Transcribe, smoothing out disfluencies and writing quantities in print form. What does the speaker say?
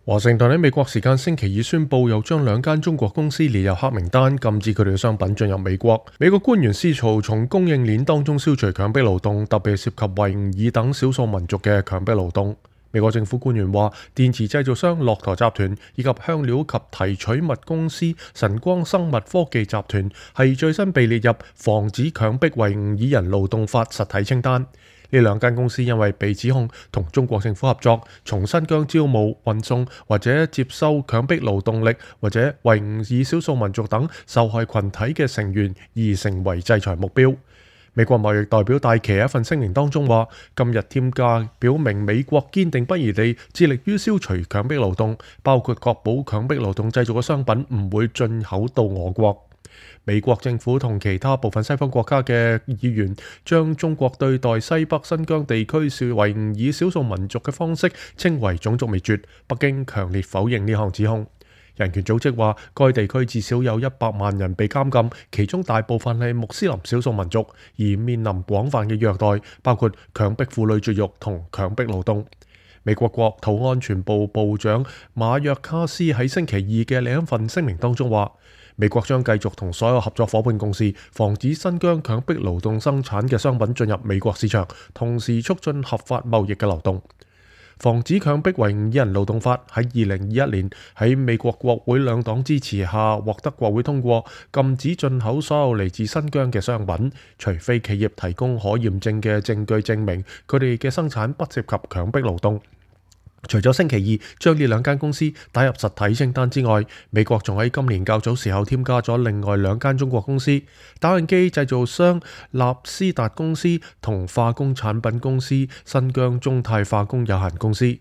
華盛頓喺美國時間星期二宣布，又將兩間中國公司列入黑名單，禁止佢哋嘅商品進入美國。美國官員試圖從供應鏈當中消除強迫勞動，特別涉及維吾爾等少數民族嘅強迫勞動。美國政府官員話，電池製造商駱駝集團以及香料及提取物公司晨光生物科技集團係最新被列入防止強迫維吾爾人勞動法實體清單。呢兩間公司因為被指控同中國政府合作，從新疆招募、運送或者接收強迫勞動力，或者維吾爾少數民族等受害群體嘅成員，而成為制裁目標。美國貿易代表戴琪喺一份聲明當中話，今日添加表明美國堅定不移地致力於消除強迫勞動，包括確保強迫勞動製造嘅商品唔會進口到我國。美國政府同其他部分西方國家嘅議員將中國對待西北新疆地區維吾爾少數民族嘅方式稱為種族滅絕。北京強烈否認呢項指控。人權組織話，該地區至少有100萬人被監禁，其中大部分係穆斯林少數民族，而面臨廣泛嘅虐待，包括強迫婦女絕育同強迫勞動。美國國土安全部部長馬約卡斯喺星期二嘅另一份聲明當中話，美國將繼續同所有合作夥伴共事，防止新疆強迫勞動生產嘅商品進入美國市場，同時促進合法貿易嘅流動。防止強迫維吾爾人勞動法喺2021年喺美國國會兩黨支持下獲得國會通過，禁止進口所有嚟自新疆嘅商品，除非企業提供可驗證嘅證據證明佢哋嘅生產不涉及強迫勞動。除咗星期二將呢兩間公司打入實體清單之外，美國仲喺今年較早時候添加咗另外兩間中國公司：打印機製造商納斯達公司同化工產品公司新疆中泰化工有限公司。